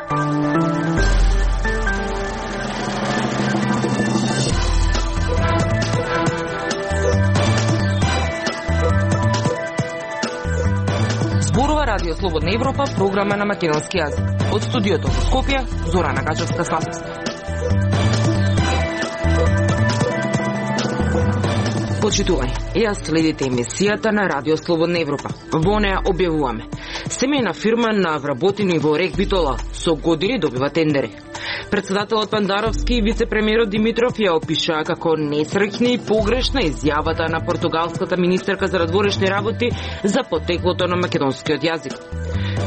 Зборува Радио Слободна Европа, програма на македонски јазик. Од студиото во Скопје, Зорана Гачевска-Славовска. Почитување, јас следите емисијата на Радио Слободна Европа. Во неа објавуваме: семејна фирма на вработени во РЕК Битола со години добива тендери. Председателот Пандаровски и вице-премиерот Димитров ја опишаа како несреќна и погрешна изјавата на португалската министерка за надворешни работи за потеклото на македонскиот јазик.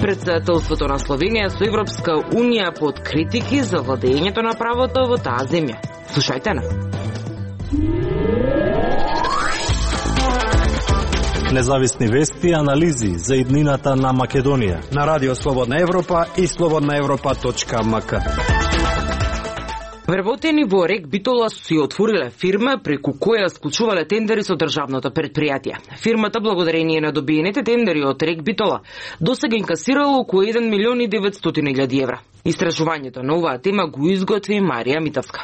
Председателството на Словенија со Европска Унија под критики за владењето на правото во таа земја. Слушајте на. Независни вести и анализи за иднината на Македонија на Радио Слободна Европа и slobodnaevropa.mk. Вработени во РЕК Битола си отвориле фирма преку која склучувале тендери со државното предпријатие. Фирмата, благодарение на добиените тендери од РЕК Битола, досега инкасирала околу 1.900.000 евра. Истражувањето на оваа тема го изготви Марија Митовска.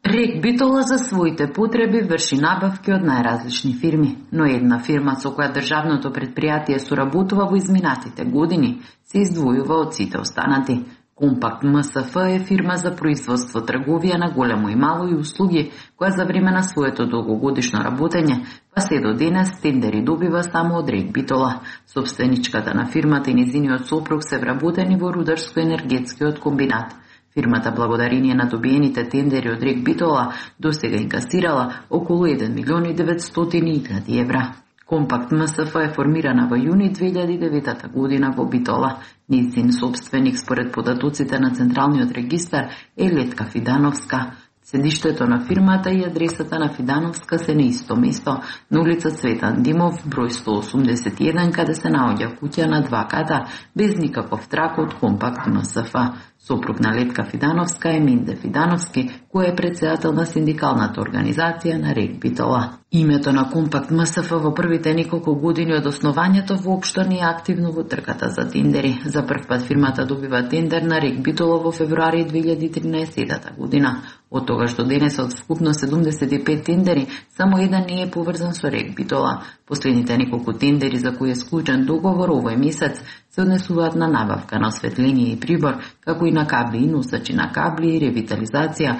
РЕК Битола за своите потреби врши набавки од најразлични фирми, но една фирма со која државното предпријатие соработува во изминатите години се издвојува од сите останати. Компакт МСФ е фирма за производство, трговија на големо и мало и услуги, која за време на своето долгогодишно работење, па се до денес тендери добива само од РЕК Битола. Собственичката на фирмата и нејзиниот сопруг се вработени во рударско-енергетскиот комбинат. Фирмата, благодарение на добиените тендери од РЕК Битола, досега инкасирала околу 1.900.000 евра. Компакт МСФ е формирана во јуни 2009 година во Битола. Нејзин собственик, според податоците на Централниот регистар, е Летка Фидановска. Седиштето на фирмата и адресата на Фидановска се на исто место, на улица Цветан Димов, број 181, каде се наоѓа куќа на 2 ката, без никаков трак од Компакт МСФ. Сопруг на Летка Фидановска е Менде Фидановски, кој е председател на синдикалната организација на РЕК Битола. Името на Компакт МСФ во првите неколку години од основањето воопшто не е активно во трката за тендери. За прв пат фирмата добива тендер на РЕК Битола во февруари 2013 година. Од тогаш до денес од вкупно 75 тендери, само еден не е поврзан со РЕК Битола. Последните неколку тендери за кои е склучен договор овој месец се однесуваат на набавка на осветление и прибор, како и на кабли и носачи на кабли и ревитализација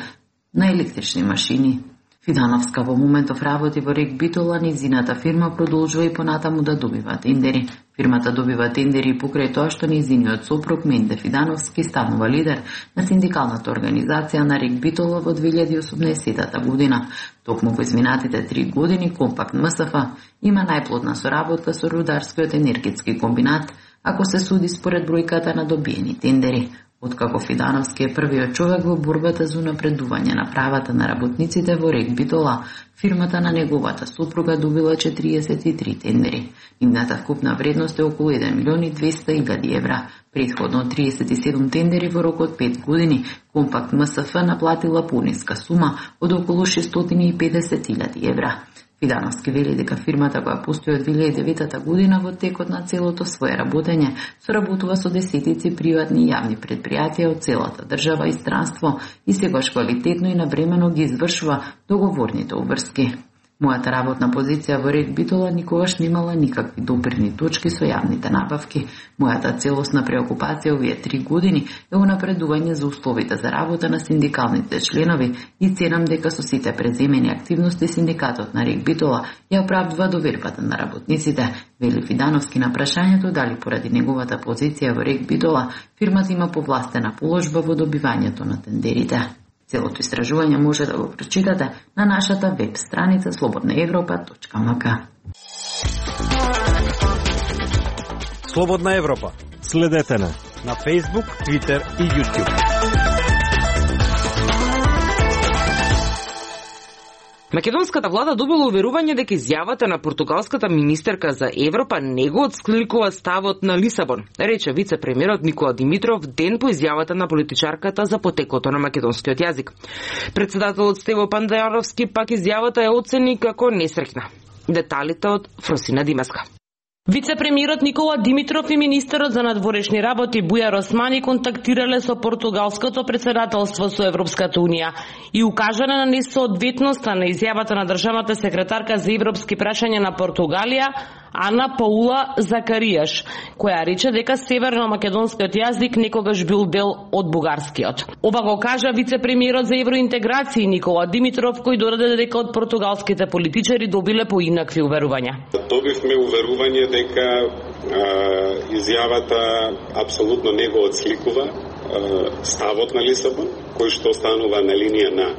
на електрични машини. Фидановска во моментов работи во РЕК Битола, нејзината фирма продолжува и понатаму да добива тендери. Фирмата добива тендери покрај тоа што нејзиниот сопруг Менде Фидановски станува лидер на синдикалната организација на РЕК Битола во 2018 година. Токму во изминатите 3 години Компакт МСФ има најплодна соработка со рударскиот енергетски комбинат, ако се суди според бројката на добиени тендери. Откако Фидановски е првиот човек во борбата за напредување на правата на работниците во РЕК Битола, фирмата на неговата сопруга добила 43 тендери. Нивната вкупна вредност е околу 1.200.000 евра. Претходно 37 тендери во рок од 5 години, Компакт МСФ наплатила пониска сума од околу 650.000 евра. Фидановски вели дека фирмата која постои од 2009 година во текот на целото свое работење соработува со десетици приватни и јавни предпријатија од целата држава и странство и сегаш квалитетно и навремено ги извршува договорните обврски. Мојата работна позиција во РЕК Битола никогаш немала никакви допирни точки со јавните набавки. Мојата целосна преокупација овие 3 години е унапредување за условите за работа на синдикалните членови и ценам дека со сите преземени активности синдикатот на РЕК Битола ја оправдува довербата на работниците, вели Фидановски на прашањето дали поради неговата позиција во РЕК Битола фирмата има повластена положба во добивањето на тендерите. Целото истражување може да го прочитате на нашата веб страница slobodnaevropa.mk. Слободна Европа. Следете на Facebook, Twitter и YouTube. Македонската влада добила уверување дека изјавата на португалската министерка за Европа не го отскликува ставот на Лисабон, рече вице-премиерот Никола Димитров ден по изјавата на политичарката за потеклото на македонскиот јазик. Председателот Стево Пандаровски пак изјавата ја оцени како несреќна. Деталите од Фросина Димаска. Вице-премиерот Никола Димитров и министерот за надворешни работи Бујар Османи контактирале со португалското председателство со Европската Унија и укажале на несоодветноста на изјавата на државната секретарка за европски прашања на Португалија Ана Паула Закаријаш, која рече дека северно-македонскиот јазик некогаш бил дел од бугарскиот. Ова го кажа вице-премиерот за евроинтеграција Никола Димитров, кој додаде дека од португалските политичари добиле поинакви уверувања. Добивме уверување дека изјавата апсолутно не го отсликува ставот на Лисабон, кој што останува на линија на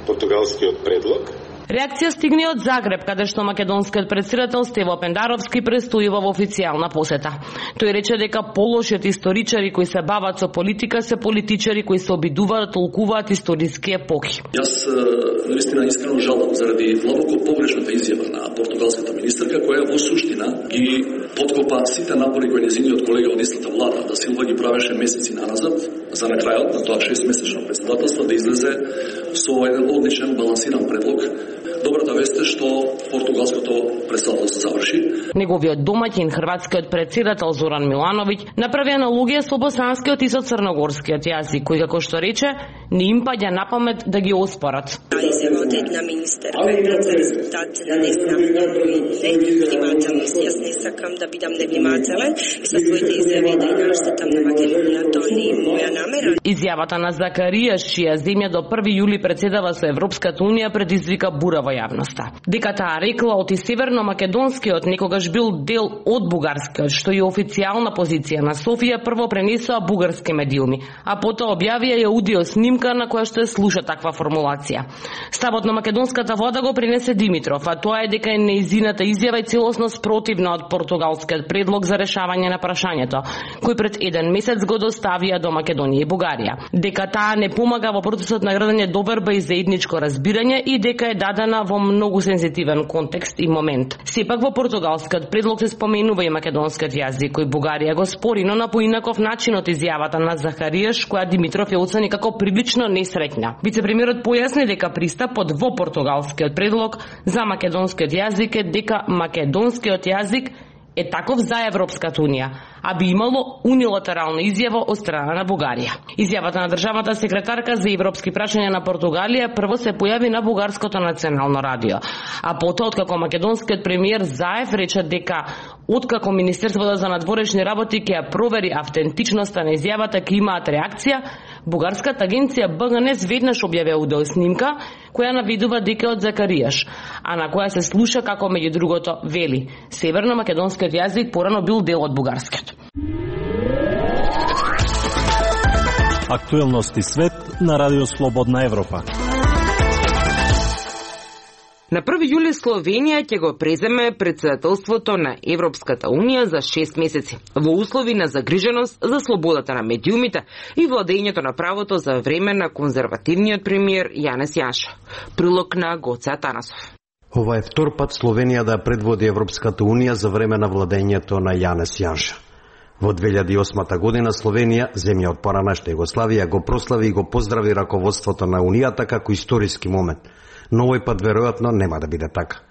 португалскиот предлог. Реакција стигне од Загреб, каде што македонскиот председател Стево Пендаровски престојува во официјална посета. Тој рече дека полошиот историчари кои се бават со политика се политичари кои се обидуваат да толкуваат историски епохи. Јас наистина искрено жалам заради длабоко погрешната изјава на португалската министерка, која во суштина ги подкопа сите напори кои нејзиниот колега од истата влада да Силва ги правеше месеци наназад, за на крајот на тоа 6-месечно председателство да излезе со еден одличен балансиран предлог. Добрата вест е што португалското председателство заврши. Неговиот домаќин, хрватскиот председател Зоран Милановиќ, направи аналогија со босанскиот и со црногорскиот јазик, кој како што рече, не им паѓа на памет да ги оспорат. Изјава од една министерка е за резултат не знам невнимателен. Јас не сакам да бидам невнимателен и со своите изјави да наштетам на Македонија, тоа не е моја намера. Изјавата на Закаријаш, чија земја до 1 јули председава со Европската Унија, предизвика бура во јавноста. Дека таа рекла оти северно-македонскиот некогаш бил дел од бугарскиот, што е официјална позиција на Софија, прво пренесоа бугарски медиуми, а потоа објавија и аудио снимка на која што се слуша таква формулација. Ставот на македонската влада го пренесе Димитров, а тоа е дека е неизината изјава и целосно спротивна од португалскиот предлог за решавање на прашањето, кој пред еден месец го доставија до Македонија и Бугарија. Дека таа не помага во процесот на градење доверба и заедничко разбирање и дека е дадена во многу сензитивен контекст и момент. Сепак во португалскиот предлог се споменува и македонскиот јазик, кој Бугарија го спори, но на поинаков начин од изјавата на Захаријаш, која Димитров ја оцени како прилично несреќна. Вице-премиерот појасни дека пристапот во португалскиот предлог за македонскиот јазик е дека македонскиот јазик е таков за Европската Унија, а би имало унилатерална изјава од страна на Бугарија. Изјавата на државната секретарка за европски прашања на Португалија прво се појави на бугарското национално радио, а потоа откако македонскиот премиер Заев рече дека откако Министерството за надворешни работи ќе ја провери автентичноста на изјавата, ќе имаат реакција, бугарската агенција БГНЕС веднаш објави аудиоснимка која наведува дека од Закаријаш, а на која се слуша како меѓу другото вели: северно-македонскиот јазик порано бил дел од бугарскиот. Актуелности свет на Радио Слободна Европа. На 1 јули Словенија ќе го преземе председателството на Европската Унија за 6 месеци, во услови на загриженост за слободата на медиумите и владењето на правото за време на конзервативниот премиер Јанес Јанша. Прилог на Гоце Атанасов. Ова е втор пат Словенија да предводи Европската Унија за време на владењето на Јанес Јанша. Во 2008 година Словенија, земја од поранешна Југославија, го прослави и го поздрави раководството на Унијата како историски момент. Но овој пат веројатно нема да биде така.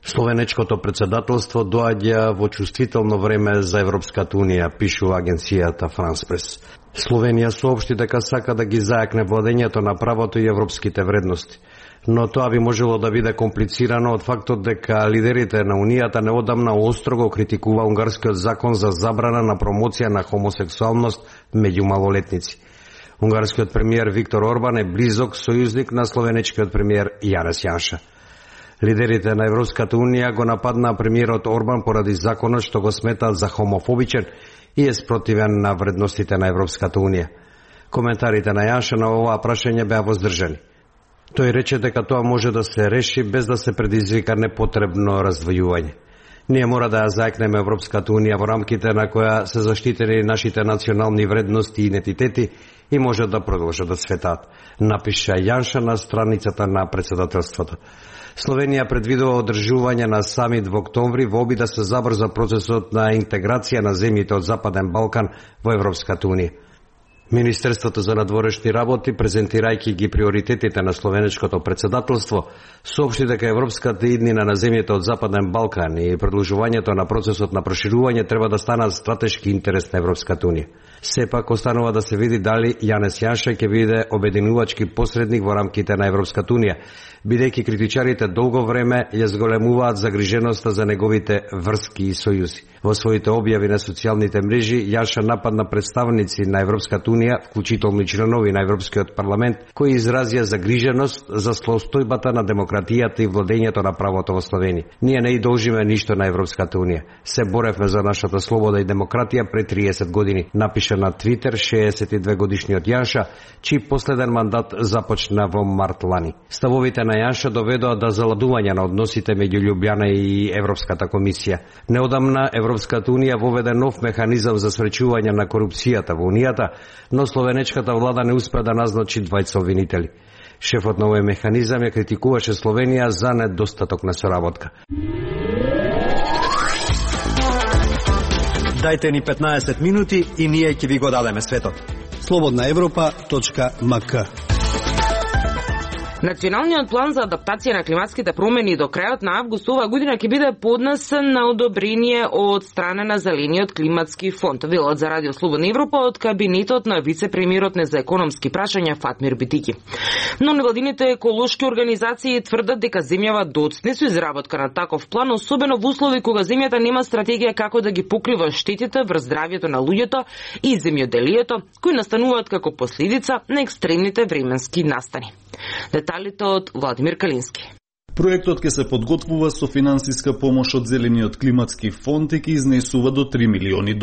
Словенечкото председателство доаѓа во чувствително време за Европската Унија, пишува агенцијата France Press. Словенија соопшти дека сака да ги зајакне владењето на правото и европските вредности. Но тоа би можело да биде комплицирано од фактот дека лидерите на Унијата неодамна остро го критикува унгарскиот закон за забрана на промоција на хомосексуалност меѓу малолетници. Унгарскиот премиер Виктор Орбан е близок сојузник на словенечкиот премиер Јанес Јанша. Лидерите на Европската Унија го нападнаа премиерот Орбан поради законот што го сметаат за хомофобичен и е спротивен на вредностите на Европската Унија. Коментарите на Јанша на оваа прашање беа воздржани. Тој рече дека тоа може да се реши без да се предизвика непотребно раздвојување. Ние мора да ја зајакнеме Европската Унија во рамките на која се заштитени нашите национални вредности и идентитети и може да продолжат да цветаат, напиша Јанша на страницата на председателството. Словенија предвидува одржување на самит во октомври во обид да се забрза процесот на интеграција на земјите од Западен Балкан во Европската Унија. Министерството за надворешни работи, презентирајќи ги приоритетите на словенечкото председателство, соопшти дека европската иднина на земјите од Западен Балкан и продолжувањето на процесот на проширување треба да станат стратешки интерес на Европската унија. Сепак останува да се види дали Јанес Јанша ќе биде обединувачки посредник во рамките на Европската унија, бидејќи критичарите долго време ја зголемуваат загриженоста за неговите врски и сојузи. Во своите објави на социјалните мрежи, Јанша нападна представници на Европската унија, вклучително и членови на Европскиот парламент, кои изразија загриженост за состојбата на демократијата и владењето на правото во Словенија. Ние не и должиме ништо на Европската унија. Се боревме за нашата слобода и демократија пред 30 години, напиша на Твитер 62 годишниот Јанша, чиј последен мандат започна во март лани. Ставовите на Јанша доведоа до заладување на односите меѓу Љубљана и Европската комисија. Неодамна Европската унија воведе нов механизам за спречување на корупцијата во унијата, но словенечката влада не успеа да назначи двајца обвинители. Шефот на овој механизам ја критикуваше Словенија за недостаток на соработка. Дајте ни 15 минути и ние ќе ви го дадеме светот. slobodnaevropa.mk. Националниот план за адаптација на климатските промени до крајот на август оваа година ќе биде поднесен на одобрение од страна на Зелениот климатски фонд, велат за Радио Слободна Европа од кабинетот на вице-премиерот за економски прашања Фатмир Битики. Но невладините еколошки организации тврдат дека земјава доцне со изработка на таков план, особено во услови кога земјата нема стратегија како да ги покрива штетите врз здравјето на луѓето и земјоделието, кои настануваат како последица на екстремните временски настани. Деталите од Владимир Калински. Проектот ќе се подготвува со финансиска помош од Зелениот климатски фонд и ќе изнесува до $3 милиони.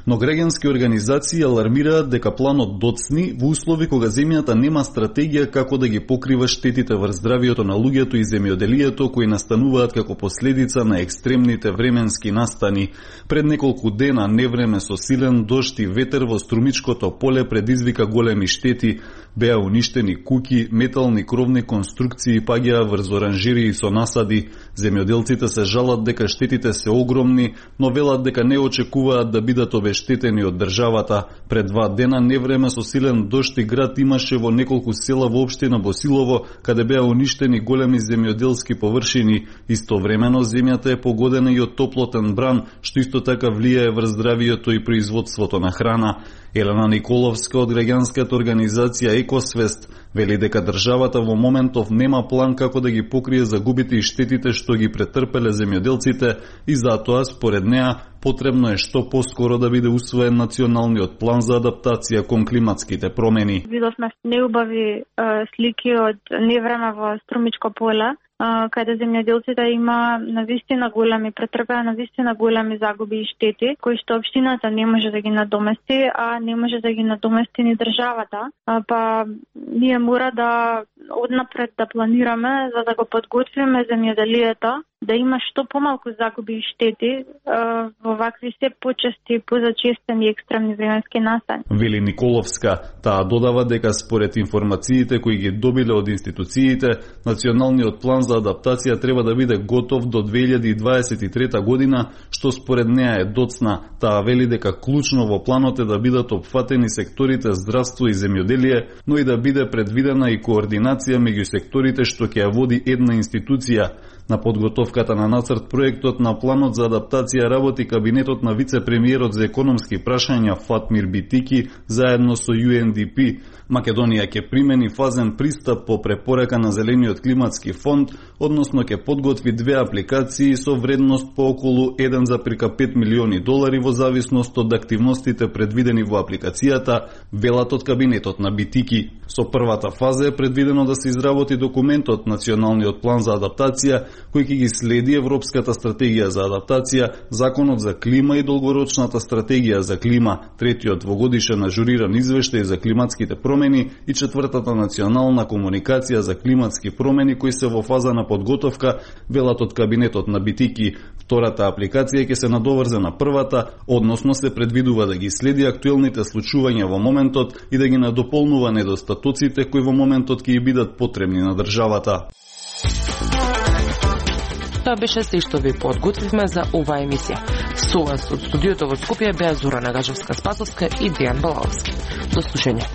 Но граѓански организации алармираат дека планот доцни во услови кога земјата нема стратегија како да ги покрива штетите врз здравјето на луѓето и земјоделието кои настануваат како последица на екстремните временски настани. Пред неколку дена невреме со силен дожд и ветер во Струмичкото поле предизвика големи штети. Беа уништени куќи, метални кровни конструкции паѓаа врз оранжерии со насади. Земјоделците се жалат дека штетите се огромни, но велат дека не очекуваат да бидат обештетени од државата. Пред 2 дена невреме со силен дожд и град имаше во неколку села во општина Босилово, каде беа уништени големи земјоделски површини. Истовремено земјата е погодена и од топлотен бран, што исто така влијае врз здравието и производството на храна. Елена Николовска од граѓанската организација Екосвест вели дека државата во моментов нема план како да ги покрие загубите и штетите што ги претрпеле земјоделците и затоа според неа потребно е што поскоро да биде усвоен националниот план за адаптација кон климатските промени. Видовме неубави слики од невреме во Струмичко поле, каде земјоделците има навистина големи претрпеа навистина големи загуби и штети, кои што општината не може да ги надомести, а не може да ги надомести ни државата. Па ние мора да однапред да планираме за да го подготвиме земјоделието да има што помалку загуби и штети во вакви се почести, позачестени екстремни временски настани. Вели Николовска, таа додава дека според информациите кои ги добиле од институциите, националниот план за адаптација треба да биде готов до 2023 година, што според неа е доцна. Таа вели дека клучно во планот е да бидат опфатени секторите здравство и земјоделие, но и да биде предвидена и координација меѓу секторите што ќе ја води една институција. На подготовката на нацрт проектот на планот за адаптација работи кабинетот на вице-премиерот за економски прашања Фатмир Битики заедно со UNDP. Македонија ќе примени фазен пристап по препорака на Зелениот климатски фонд, односно ќе подготви 2 апликации со вредност по околу $1,5 милиони во зависност од активностите предвидени во апликацијата, велат од кабинетот на Битики. Со првата фаза е предвидено да се изработи документот Националниот план за адаптација, кој ќе ги следи Европската стратегија за адаптација, Законот за клима и долгорочната стратегија за клима, третиот двогодишен ажуриран извештај за климатските промени и четвртата национална комуникација за климатски промени кои се во фаза на подготовка, велат од кабинетот на Битики. Втората апликација ќе се надоврзе на првата, односно се предвидува да ги следи актуелните случувања во моментот и да ги надополнува недостатоците кои во моментот ќе бидат потребни на државата. Тоа беше се што ви подготвивме за оваа емисија. Со вас од студиото во Скопје беа Зора Нагажевска-Спасовска и Дејан Балалски. До слушање.